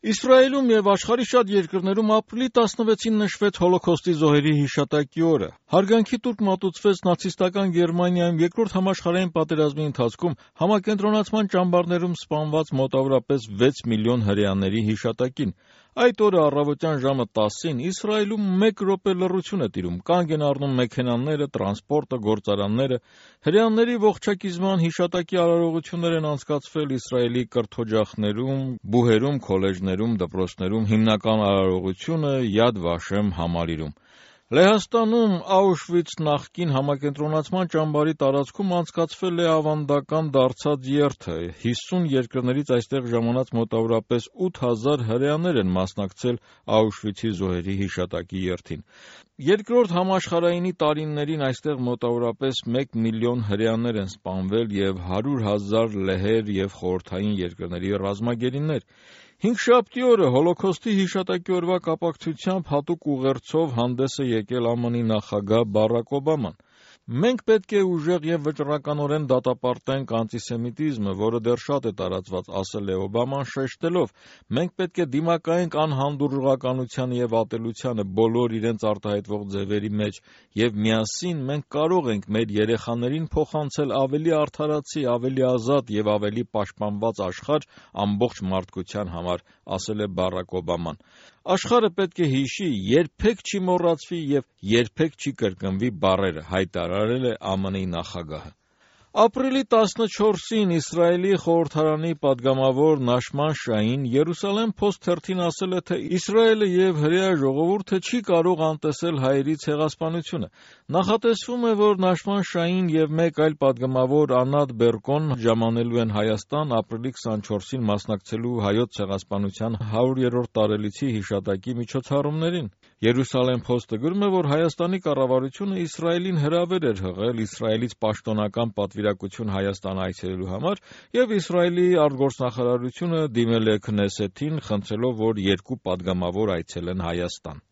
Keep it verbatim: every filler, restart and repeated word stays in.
Իսրայելում և աշխարհի շատ երկրներում ապրիլի տասնվեցին նշվեց Հոլոքոստի զոհերի հիշատակի օրը։ Հարգանքի տուրք մատուցվեց նացիստական Գերմանիայում Երկրորդ համաշխարհային պատերազմի ընթացքում համակենտրոնացման ճամբարներում սպանված մոտավորապես վեց միլիոն հրեաների հիշատակին։ Այդ օրը առավոտյան ժամը տասին Իսրայելում մեկ րոպե լռություն է տիրում, կանգ են առնում մեքենաները, տրանսպորտը, գործարանները։ Հրեաների ողջակիզման հիշատակի արարողություններ են անցկացվել Իսրայելի կրթօջախներում, բուհերում, քոլեջներում, դպրոցներում, հիմնական արարողությունը Յադ Վաշեմ համալիրում։ Լեհաստանում Աուշվից նախկին համակենտրոնացման ճամբարի տարածքում անցկացվել է ավանդական դարձած երթը։ հիսուն երկրներից այստեղ ժամանած մոտավորապես ութ հազար հրեաներ են մասնակցել Աուշվիցի զոհերի հիշատակի երթին։ Երկրորդ համաշխարհայինի տարիներին այստեղ մոտավորապես մեկ միլիոն հրեաներ են սպանվել և հարյուր հազար լեհեր և խորհրդային երկրների ռազմագերիներ։ Հինգշաբթի օրը Հոլոքոստի հիշատակի օրվա կապակցությամբ հատուկ ուղերձով հանդես է եկել Ամն Ի նախագահ Բարաք Օբաման։ «Մենք պետք է ուժեղ և վճռականորեն դատապարտենք անտիսեմիտիզմը, որը դեռ շատ է տարածված», ասել է Օբաման, շեշտելով. «Մենք պետք է դիմակայենք անհանդուրժողականությանը և ատելությանը բոլոր իրենց արտահայտվող ձևերի մեջ, և միասին մենք կարող ենք մեր երեխաներին փոխանցել ավելի արդարացի, ավելի ազատ և ավելի պաշտպանված աշխարհ ամբողջ մարդկության համար», ասել է Բարաք Օբաման։ «Աշխարհը պետք է հիշի, երբեք չի մոռացվի և երբեք չի կրկնվի բառերը», հայտարարել է Ամն Ի նախագահը։ Ապրիլի տասնչորսին Իսրայելի խորհրդարանի պատգամավոր Նաշման Շահին Երուսալեմ Փոսթ թերթին ասել է, թե Իսրայելը և հրեա ժողովուրդը չի կարող անտեսել հայերի ցեղասպանությունը։ Նախատեսվում է, որ Նաշման Շահին և մեկ այլ պատգամավոր Անատ Բերկոն ժամանելու են Հայաստան ապրիլի քսանչորսին մասնակցելու Հայոց ցեղասպանության հարյուրերորդ տարելիցի հիշատակի միջոցառումներին։ Երուսալեմ Փոստը գրում է, որ Հայաստանի կառավարությունը Իսրայելին հրավեր էր հղել Իսրայելից պաշտոնական պատվիրակություն Հայաստան այցելելու համար, և Իսրայելի արտգործնախարարությունը դիմել է Քնեսեթին, խնդրելով, որ երկու պատգամավոր այցելեն Հայաստան։